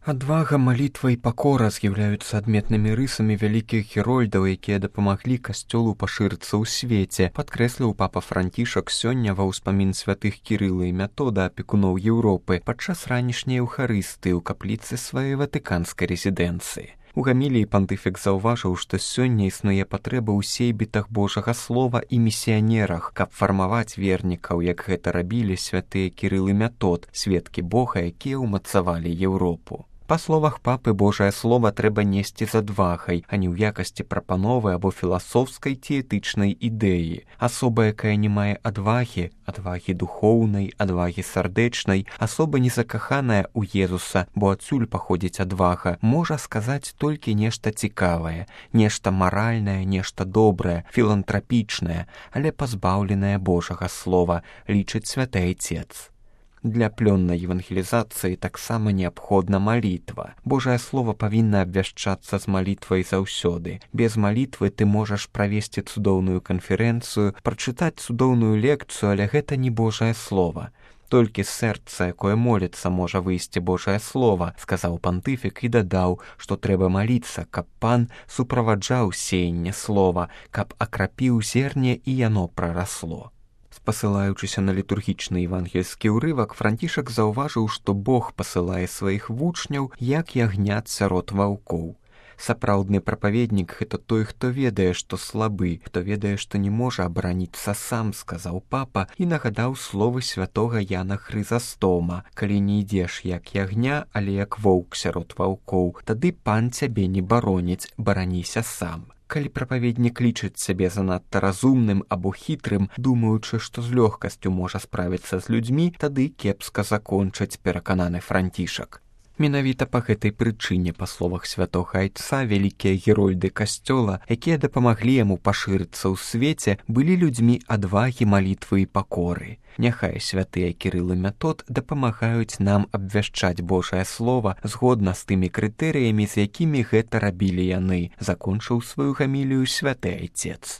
Адвага, малітва і пакора з'яўляюцца адметнымі рысамі вялікіх герольдаў, якія дапамаглі касцёлу пашырыцца ў свеце, падкрэсліў папа Францішак сёння ва ўспамін святых Кірыла і Метода, апекуноў Еўропы, падчас ранішняй еўхарыстыі ў капліцы сваёй ватыканскай рэзідэнцыі. У гаміліі пантыфік заўважыў, што сёння існуе патрэба ў сейбітах Божага слова і місіянерах, каб фармаваць вернікаў, як гэта рабілі святыя Кірыл і Метод, сведкі Бога, якія ўмацавалі Еўропу. Па словах папы, Божае слова трэба несці з адвагай, а не ў якасці прапановы або філасофскай ці этычнай ідэі. Асоба, якая не мае адвагі духоўнай, адвагі сардэчнай, асоба незакаханая ў Езуса, бо адсюль паходзіць адвага, можа сказаць толькі нешта цікавае, нешта маральнае, нешта добрае, філантрапічнае, але пазбаўленае Божага слова, лічыць святы Айцец. Для плённай евангелізацыі таксама неабходна малітва. Божае слово павінна абвяшчацца з малітвай заўсёды. Без малітвы ты можаш правесці цудоўную канферэнцыю, прачытаць цудоўную лекцыю, але гэта не Божае слово. Толькі з сэрца, якое моліцца, можа выйсці Божае слово, сказаў пантыфік і дадаў, што трэба маліцца, каб пан суправаджаў сеянне слова, каб акрапіў зерне і яно прарасло. Спасылаючыся на літургічны евангельскі ўрывак, Францішак заўважыў, што Бог пасылае сваіх вучняў, як ягнят сярод ваўкоў. Сапраўдны прапаведнік – гэта той, хто ведае, што слабы, хто ведае, што не можа абараніцца сам, сказаў папа і нагадаў словы святога Яна Хрызастома. Калі не ідзеш як ягня, але як воўк сярод ваўкоў, тады пан цябе не бароніць, бараніся сам. Калі прапаведнік лічыць сябе занадта разумным або хітрым, думаючы, што з лёгкасцю можа справіцца з людзьмі, тады кепска закончыць, перакананы Францішак. Менавіта па гэтай прычыне, па словах святога Айца, вялікія герольды касцёла, якія дапамаглі яму пашырыцца ў свеце, былі людзьмі адвагі, малітвы і пакоры. Няхай святыя Кірыл і Метод дапамагаюць нам абвяшчаць Божае слова згодна з тымі крытэрыямі, з якімі гэта рабілі яны, закончыў сваю гамілію святы Айцец.